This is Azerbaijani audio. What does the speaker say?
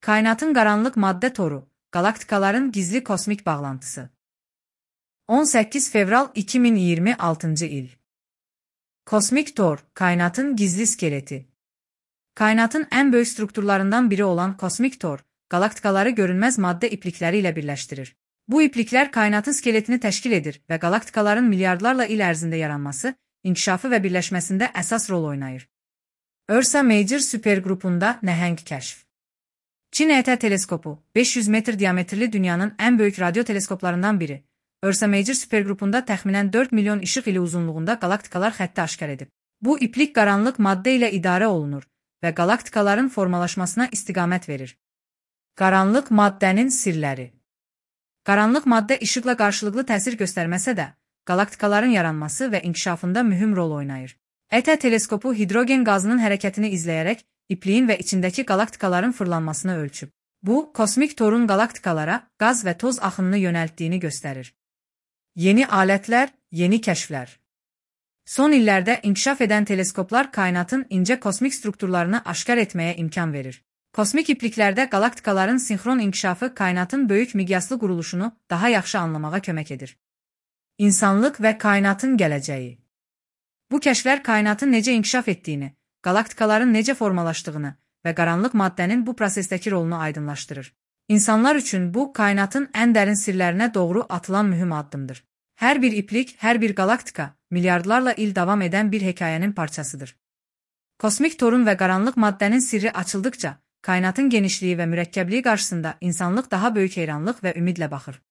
Kainatın qaranlıq maddə toru, qalaktikaların gizli kosmik bağlantısı. 18 fevral 2026 il. Kosmik tor, kainatın gizli skeleti. Kainatın ən böyük strukturlarından biri olan kosmik tor, qalaktikaları görünməz maddə iplikləri ilə birləşdirir. Bu ipliklər kainatın skeletini təşkil edir və qalaktikaların milyardlarla il ərzində yaranması, inkişafı və birləşməsində əsas rol oynayır. Ursa Major superqrupunda nəhəng kəşf. Çin ET teleskopu, 500 metr diametrli dünyanın ən böyük radio teleskoplarından biri, Ursa Major superqrupunda təxminən 4 milyon işıq ili uzunluğunda qalaktikalar xətti aşkar edib. Bu iplik qaranlıq maddə ilə idarə olunur və qalaktikaların formalaşmasına istiqamət verir. Qaranlıq maddənin sirləri. Qaranlıq maddə işıqla qarşılıqlı təsir göstərməsə də, qalaktikaların yaranması və inkişafında mühüm rol oynayır. ET teleskopu hidrogen qazının hərəkətini izləyərək ipliyin və içindəki qalaktikaların fırlanmasını ölçüb. Bu, kosmik torun qalaktikalara qaz və toz axınını yönəltdiyini göstərir. Yeni alətlər, yeni kəşflər. Son illərdə inkişaf edən teleskoplar kainatın incə kosmik strukturlarını aşkar etməyə imkan verir. Kosmik ipliklərdə qalaktikaların sinxron inkişafı kainatın böyük miqyaslı quruluşunu daha yaxşı anlamağa kömək edir. İnsanlıq və kainatın gələcəyi. Bu kəşflər kainatın necə inkişaf etdiyini, qalaktikaların necə formalaşdığını və qaranlıq maddənin bu prosesdəki rolunu aydınlaşdırır. İnsanlar üçün bu, kainatın ən dərin sirlərinə doğru atılan mühüm addımdır. Hər bir iplik, hər bir qalaktika, milyardlarla il davam edən bir hekayənin parçasıdır. Kosmik torun və qaranlıq maddənin sirri açıldıqca, kainatın genişliyi və mürəkkəbliyi qarşısında insanlıq daha böyük heyranlıq və ümidlə baxır.